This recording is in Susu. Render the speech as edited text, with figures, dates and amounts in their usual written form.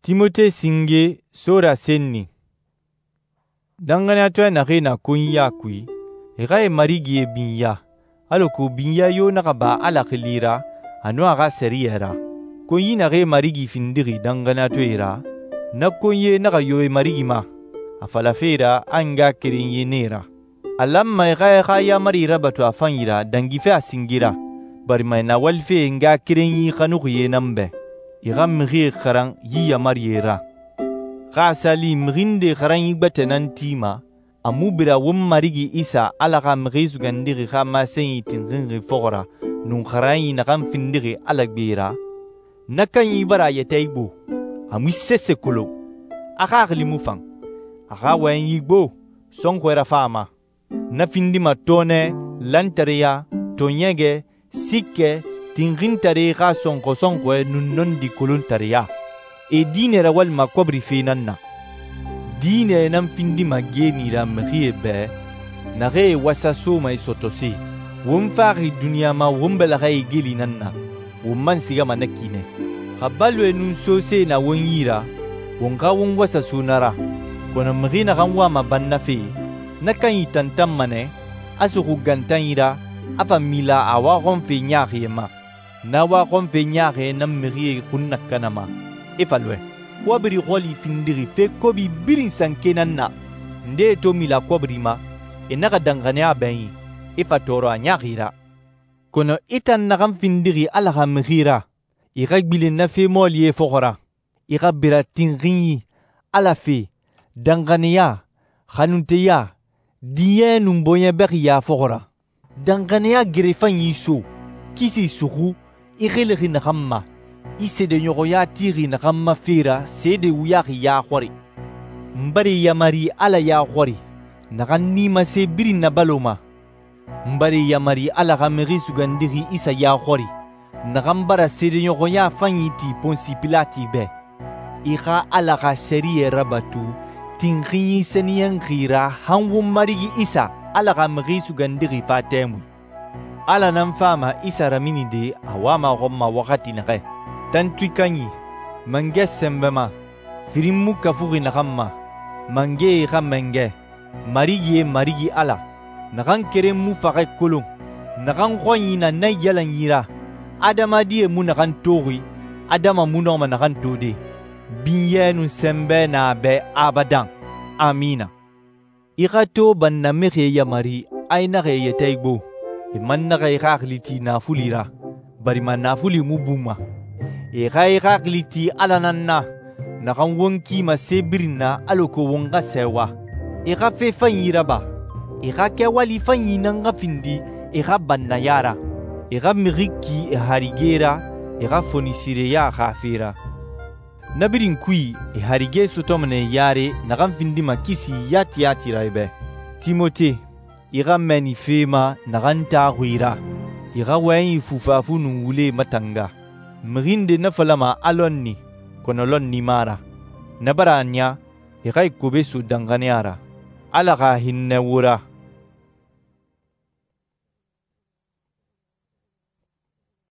Timote singe Sora senni. Danxaniyatɔɛ naxee na konyiya kui, e xa e marigie binya, alako binya yo naxa ba Ala xili ra a nun a xa sɛriyɛ ra. Konyi naxee marigi findixi danxaniyatɔɛe ra, na konyie naxa yo e marigi ma, a falafe ra a ngaxakerenyie nan e ra. A lanma e xa e xa yaamari rabatu a fanyi ra dangife a singe ra, barima e na walife e ngaxakerenyi xanuxie nan bɛ, e xa mixie xaran yi yaamarie ra. Xa a sa li mixi nde xaranyi gbɛtɛ nan tima, a mu bira won Marigi Isa Ala xa Mixi Sugandixi xa masenyi tinxinxi fɔxɔ ra nun xaranyi naxan findixi Ala gbe ra, na kanyi bara a yɛtɛ igbo, a mu sese kolon, a xaxili mu fan, a xa wɔyɛnyi gbo, sɔnxɔɛ rafa a ma. Na findima tɔɔnɛ, lantareya, tɔɔɲɛgɛ, siikɛ, tinxintare xa sɔnxɔ-sɔnxɔɛ nun nɔndi kolontareya. E diinɛ rawalima kɔbirife nan na. Diinɛ nan findima geeni ra mixie bɛ, naxee wasa soma e sɔtɔse. Won faxi duniɲa ma won bɛlɛxɛ igeli nan na, won man sigama na ki nɛ. Xa baloe nun sose na won yi ra, won xa won wasa so na ra. Kɔnɔ mixi naxan wama bannafe, na kanyi tantanma nɛ, a suxu gantanyi ra, a fa mila a waxɔnfe ɲaaxie ma. Na waxɔnfe ɲaaxie nan mixie xun nakanama, e fa lɔɛ. Kɔbiri xɔli findixi fe kobi birin sanke nan na. Ndee to mila kɔbiri ma, e naxa danxaniya bɛnyi, e fa tɔɔrɔ a ɲaaxi ra. Kɔnɔ i tan naxan findixi Ala xa mixi ra, i xa gbilen na fe mɔɔlie fɔxɔ ra. I xa bira tinxinyi, Ala fe, danxaniya, xanunteya, diɲɛ nun bɔɲɛ bɛxiya fɔxɔ ra. Danxaniya gerefanyi so, kisi suxu, i xilixi naxan ma, i seedeɲɔxɔya tixi naxan ma fe ra seede wuyaxi ya xɔri. N bara i yamari Ala ya xɔri, naxan nimase birin nabaloma. N bara i yamari Ala xa Mixi Sugandixi Isa ya xɔri, naxan bara seedeɲɔxɔya fanyi ti Ponsi Pilati bɛ. I xa Ala xa sɛriyɛ rabatu tinxinyi sɛniyɛnxi ra han won Marigi Isa Ala xa Mixi Sugandixi fa tɛmui. Ala nan fama Isa raminide a wama xɔn ma waxati naxɛ. Tantui kanyi, mangɛ sɛnbɛma, firin mu kafuxi naxan ma, mangɛe xa mangɛ, Marigi ye Marigi Ala, naxan keren mu faxɛ kolon, naxan xɔnyi na naiyalanyi ra, adamadie mu naxan toxi, adama mu nɔma naxan tode, binyɛ nun sɛnbɛ na bɛ abadan. Amina. I xa to bannamixie yamari a i naxa e yɛtɛ igbo, e man naxa i xaxili ti naafuli ra, barima naafuli mu bunma. E xa i xaxili ti Ala nan na, naxan won kima se birin na alako won xa sɛɛwa. E xa fe fanyi raba, e xa kɛwali fanyi nan xa findi e xa bannaya ra. E xa mixi ki e harige ra, e xa fonisireya xa fe ra. Na birin kui e harige sɔtɔma nɛ yare naxan findima kisi yati yati ra i bɛ. Timote, i xa mɛni fe ma naxan taxuxi ra, i xa wɔyɛnyi fufafu nun wule matanga. Mixi nde na falama a lɔnni, kɔnɔ lɔnni ma ra. Na bara a ɲa, i xa i kobe so danxaniya ra. Ala xa hinnɛ wo ra.